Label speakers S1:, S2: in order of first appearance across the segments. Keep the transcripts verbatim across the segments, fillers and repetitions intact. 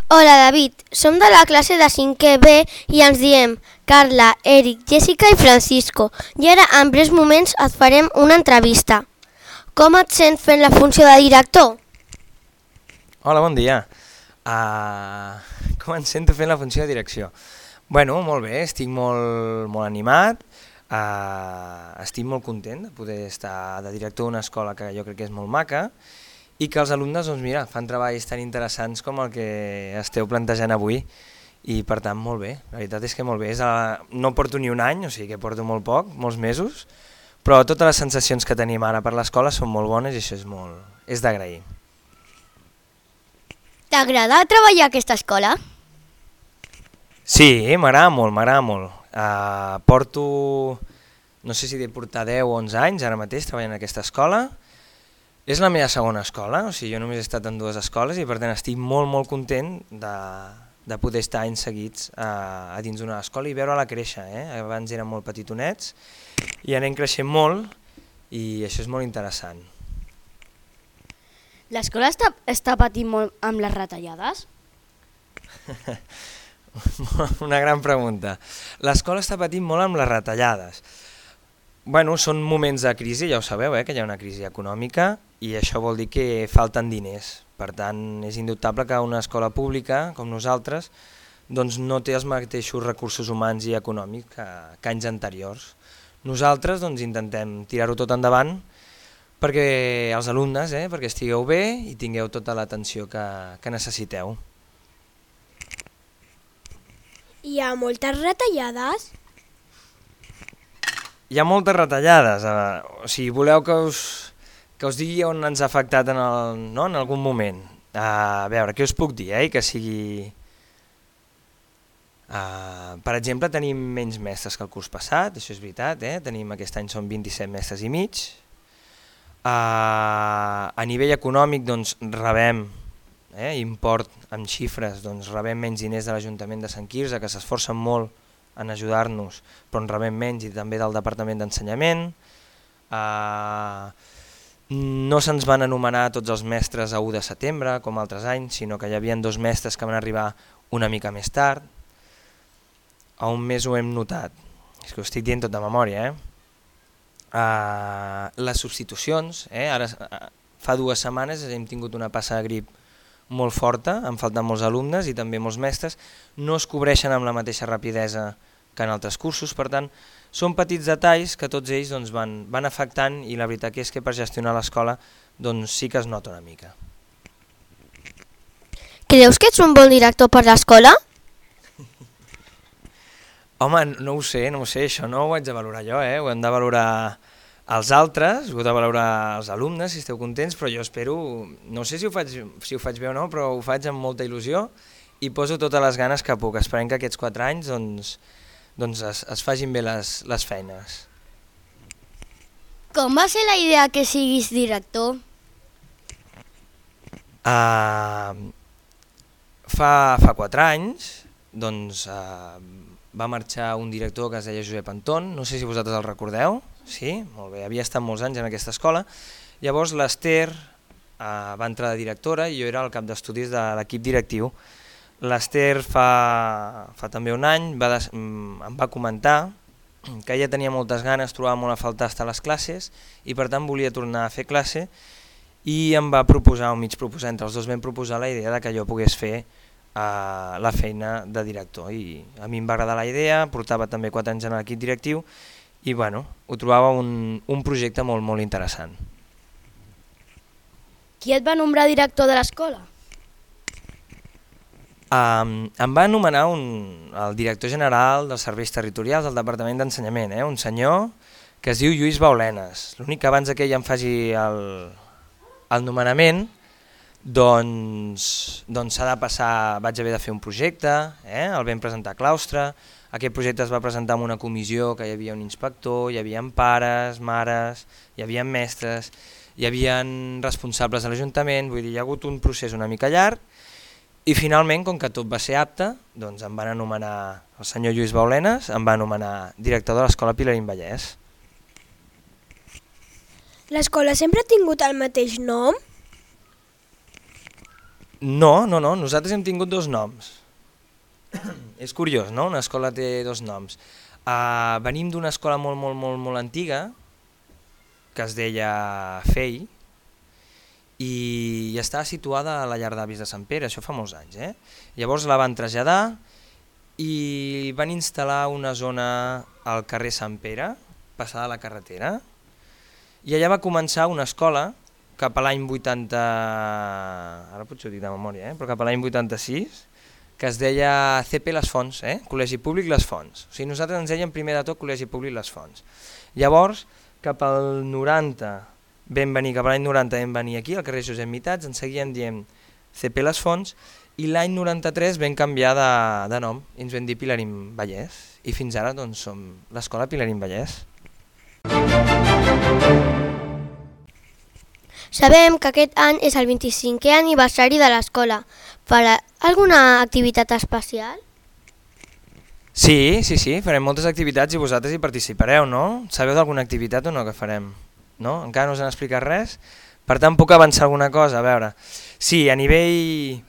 S1: Hola David, som de la classe de cinquè B i ens diem Carla, Eric, Jessica i Francisco i ara en breus moments et farem una entrevista. Com et sents fent la funció de director?
S2: Hola, bon dia. Uh, com em sento fent la funció de direcció? Bueno, molt bé, estic molt, molt animat, uh, estic molt content de poder estar de director d'una escola que jo crec que és molt maca i que els alumnes, doncs mira, fan treballs tan interessants com el que esteu plantejant avui i per tant molt bé, la veritat és que molt bé. És a, no porto ni un any, o sigui que porto molt poc, molts mesos, però totes les sensacions que tenim ara per l'escola són molt bones i això és, molt, és d'agrair.
S1: T'agrada treballar a aquesta escola?
S2: Sí, m'agrada molt, m'agrada molt. Uh, porto, no sé si de portar deu o onze anys ara mateix treballant en aquesta escola. És la meva segona escola, o sigui, jo només he estat en dues escoles i per tant estic molt molt content de, de poder estar anys seguits a, a dins d'una escola i veure-la créixer. Eh? Abans eren molt petitonets i anem creixent molt i això és molt interessant.
S3: L'escola està, està patint molt amb les retallades?
S2: Una gran pregunta. L'escola està patint molt amb les retallades. Bueno, són moments de crisi, ja ho sabeu, eh, que hi ha una crisi econòmica i això vol dir que falten diners. Per tant, és indubtable que una escola pública com nosaltres doncs no té els mateixos recursos humans i econòmics que, que anys anteriors. Nosaltres doncs, intentem tirar-ho tot endavant perquè els alumnes, eh, perquè estigueu bé i tingueu tota l'atenció que, que necessiteu.
S4: Hi ha moltes retallades?
S2: Hi ha moltes retallades, eh? O sigui, voleu que us, que us digui on ens ha afectat en, el, no? en algun moment. Uh, a veure, què us puc dir, eh? Que sigui... Uh, per exemple, tenim menys mestres que el curs passat, això és veritat, eh? Tenim, aquest any són vint-i-set mestres i mig. Uh, a nivell econòmic, doncs, rebem eh, import amb xifres, doncs, rebem menys diners de l'Ajuntament de Sant Quirze, que s'esforcen molt en ajudar-nos, però en rebem menys, i també del Departament d'Ensenyament. Uh, no se'ns van anomenar tots els mestres a u de setembre, com altres anys, sinó que hi havia dos mestres que van arribar una mica més tard. A un mes ho hem notat, és que ho estic dient tot de memòria. Eh? Uh, les substitucions, eh? Ara, uh, fa dues setmanes hem tingut una passa de grip molt forta, han faltat molts alumnes i també molts mestres, no es cobreixen amb la mateixa rapidesa que en altres cursos, per tant, són petits detalls que tots ells doncs, van, van afectant i la veritat és que per gestionar l'escola doncs, sí que es nota una mica.
S1: Creus que ets un bon director per l'escola?
S2: Home, no ho sé, no ho sé, això no ho haig de valorar jo, eh? Ho hem de valorar els altres, ho heu de valorar els alumnes si esteu contents, però jo espero, no sé si ho faig, si ho faig bé o no, però ho faig amb molta il·lusió i poso totes les ganes que puc, esperem que aquests quatre anys doncs, doncs es, es facin bé les, les feines.
S3: Com va ser la idea que siguis director?
S2: Uh, fa, fa quatre anys doncs, uh, va marxar un director que es deia Josep Anton, no sé si vosaltres el recordeu. Sí, molt bé, havia estat molts anys en aquesta escola. Llavors l'Ester eh, va entrar de directora i jo era el cap d'estudis de l'equip directiu. L'Ester fa, fa també un any va des, em va comentar que ella tenia moltes ganes, trobava molt a faltar estar a les classes i per tant volia tornar a fer classe i em va proposar, o mig proposar, entre els dos vam proposar la idea de que jo pogués fer eh, la feina de director. I a mi em va agradar la idea, portava també quatre anys en l'equip directiu i bueno, ho trobava un, un projecte molt, molt interessant.
S3: Qui et va nombrar director de l'escola?
S2: Um, em va anomenar un, el director general dels serveis territorials del Departament d'Ensenyament, eh? Un senyor que es diu Lluís Baulenes. L'únic que abans que ell em faci el, el nomenament, doncs s'ha doncs de passar, vaig haver de fer un projecte, eh? El vam presentar a claustre. Aquest projecte es va presentar en una comissió que hi havia un inspector, hi havia pares, mares, hi havia mestres, hi havia responsables de l'Ajuntament, vull dir, hi ha hagut un procés una mica llarg i finalment, com que tot va ser apte, doncs em van anomenar, el senyor Lluís Baulenes em va anomenar director de l'Escola Pilarín Vallès.
S4: L'escola sempre ha tingut el mateix nom?
S2: No, no, no, nosaltres hem tingut dos noms. És curiós, no? Una escola té dos noms. Uh, venim d'una escola molt, molt, molt, molt antiga, que es deia Fei, i estava situada a la llar d'avis de Sant Pere, això fa molts anys. Eh? Llavors la van traslladar i van instal·lar una zona al carrer Sant Pere, passada a la carretera, i allà va començar una escola cap a l'any vuitanta, ara potser ho dic de memòria, eh? Però cap a l'any vuitanta-sis, que es deia C P Les Fonts, eh? Col·legi Públic Les Fonts. O sigui, nosaltres ens dèiem primer de tot Col·legi Públic Les Fonts. Llavors, cap al noranta, vam venir, cap a l'any noranta vam venir aquí, al carrer Josep Mitats, ens seguíem dient C P Les Fonts, i l'any noranta-tres vam canviar de, de nom, i ens vam dir Pilarín Vallès, i fins ara doncs, som l'escola Pilarín Vallès.
S1: Sabem que aquest any és el vint-i-cinquè aniversari de l'escola. Farà alguna activitat especial?
S2: Sí, sí, sí, farem moltes activitats i vosaltres hi participareu, no? Sabeu d'alguna activitat o no que farem? No? Encara no us han explicat res? Per tant, puc avançar alguna cosa? A veure, sí, a nivell,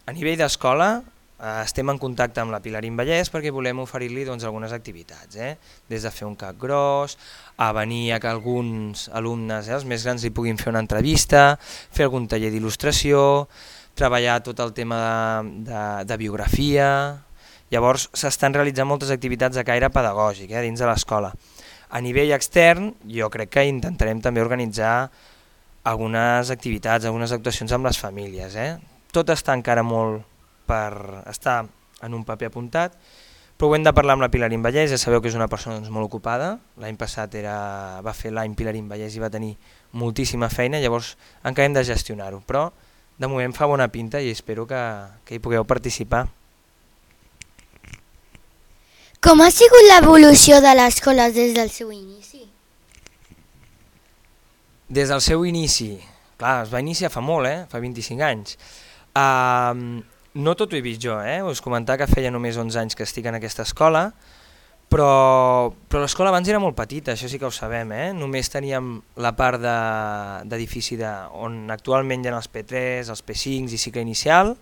S2: a nivell d'escola eh, estem en contacte amb la Pilarín Vallès perquè volem oferir-li doncs, algunes activitats, eh? Des de fer un cap gros, a venir a que alguns alumnes, eh, els més grans, li puguin fer una entrevista, fer algun taller d'il·lustració, treballar tot el tema de, de, de biografia. Llavors s'estan realitzant moltes activitats de caire pedagògic eh, dins de l'escola. A nivell extern jo crec que intentarem també organitzar algunes activitats, algunes actuacions amb les famílies. Eh? Tot està encara molt per estar en un paper apuntat, però ho hem de parlar amb la Pilarín Vallès, ja sabeu que és una persona doncs, molt ocupada. L'any passat era, va fer l'any Pilarín Vallès i va tenir moltíssima feina, llavors encara hem de gestionar-ho, però de moment fa bona pinta i espero que, que hi pugueu participar.
S1: Com ha sigut l'evolució de l'escola des del seu inici?
S2: Des del seu inici, clar, es va iniciar fa molt, eh? Fa vint-i-cinc anys. Uh, no tot ho he vist jo, eh? Us comentava que feia només onze anys que estic en aquesta escola, però, però l'escola abans era molt petita, això sí que ho sabem, eh? Només teníem la part d'edifici de, de, on actualment hi ha els P tres, els P cinc i cicle inicial,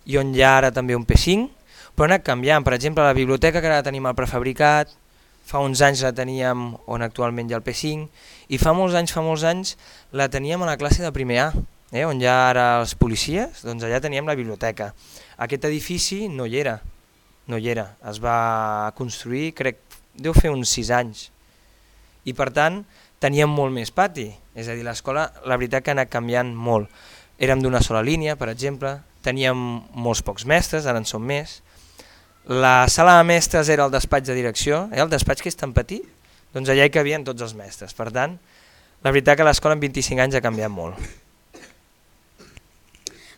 S2: i on hi ha ara també un P cinc, però ha anat canviant. Per exemple, la biblioteca, que ara tenim el prefabricat, fa uns anys la teníem on actualment hi ha el P cinc, i fa molts anys, fa molts anys la teníem a la classe de primer A, eh, on hi ha ara els policies, doncs allà teníem la biblioteca. Aquest edifici no hi era, no hi era, es va construir, crec, deu fer uns sis anys, i per tant teníem molt més pati, és a dir, l'escola la veritat que ha anat canviant molt. Érem d'una sola línia, per exemple, teníem molts pocs mestres, ara en som més. La sala de mestres era el despatx de direcció, eh, el despatx que és tan petit, doncs allà hi cabien tots els mestres. Per tant, la veritat que l'escola en vint-i-cinc anys ha canviat molt.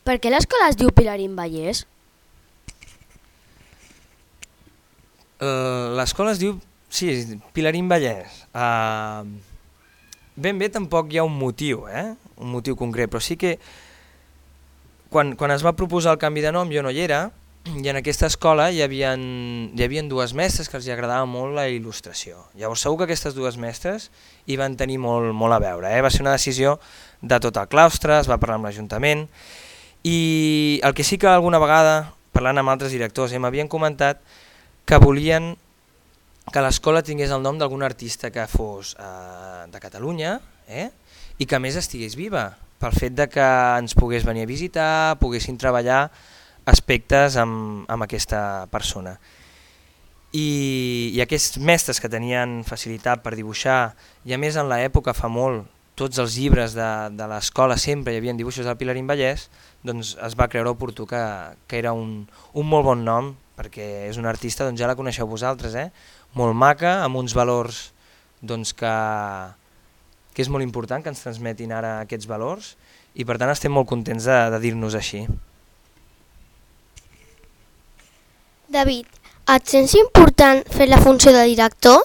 S3: Per què l'escola es diu Pilarín Vallès?
S2: Uh, l'escola es diu, sí, Pilarín Vallès. Uh, ben bé tampoc hi ha un motiu, eh? un motiu concret, però sí que quan, quan es va proposar el canvi de nom jo no hi era, i en aquesta escola hi havia, hi havia dues mestres que els agradava molt la il·lustració. Llavors segur que aquestes dues mestres hi van tenir molt, molt a veure. Eh? Va ser una decisió de tot el claustre, es va parlar amb l'Ajuntament, i el que sí que alguna vegada, parlant amb altres directors, eh, m'havien comentat que volien que l'escola tingués el nom d'algun artista que fos eh, de Catalunya eh, i que a més estigués viva, pel fet de que ens pogués venir a visitar, poguessin treballar aspectes amb, amb aquesta persona. I, i aquests mestres que tenien facilitat per dibuixar, i a més en l'època fa molt, tots els llibres de, de l'escola sempre hi havia dibuixos del Pilarín Vallès, doncs es va creure oportú que, que era un, un molt bon nom, perquè és una artista, doncs ja la coneixeu vosaltres, eh? Molt maca, amb uns valors doncs, que, que és molt important que ens transmetin ara aquests valors, i per tant estem molt contents de, de dir-nos així.
S1: David, et sents important fer la funció de director?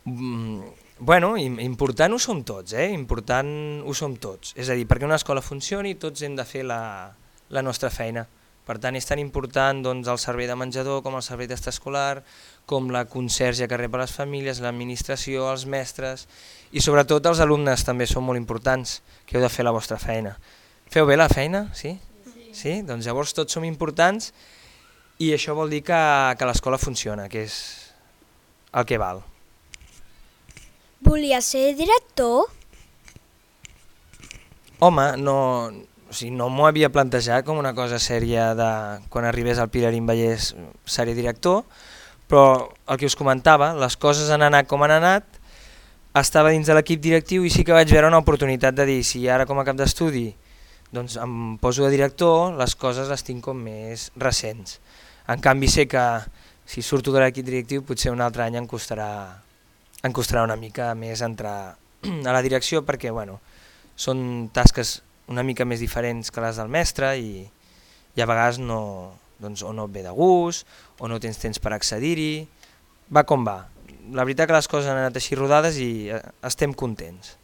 S2: Mm, bueno, important ho som tots, eh? important ho som tots. És a dir, perquè una escola funcioni tots hem de fer la, la nostra feina. Per tant, és tan important doncs, el servei de menjador com el servei d'extraescolar, com la conserge que rep a les famílies, l'administració, els mestres i sobretot els alumnes també són molt importants, que heu de fer la vostra feina. Feu bé la feina? Sí? Sí? Doncs llavors tots som importants i això vol dir que, que l'escola funciona, que és el que val.
S4: Volia ser director?
S2: Home, no, o sigui, no m'ho havia plantejat com una cosa sèria de quan arribés al Pilarín Vallès seré director, però el que us comentava, les coses han anat com han anat, estava dins de l'equip directiu i sí que vaig veure una oportunitat de dir si ara com a cap d'estudi doncs em poso de director, les coses les tinc com més recents. En canvi sé que si surto de l'equip directiu potser un altre any em costarà, em costarà una mica més entrar a la direcció perquè bueno, són tasques una mica més diferents que les del mestre i, i a vegades no, doncs, o no et ve de gust o no tens temps per accedir-hi, va com va. La veritat que les coses han anat així rodades i estem contents.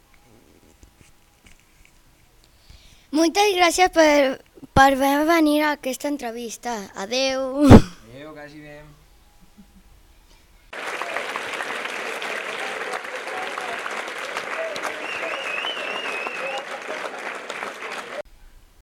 S3: Moltes gràcies per, per venir a aquesta entrevista. Adeu.
S2: Adéu, que vagi bé.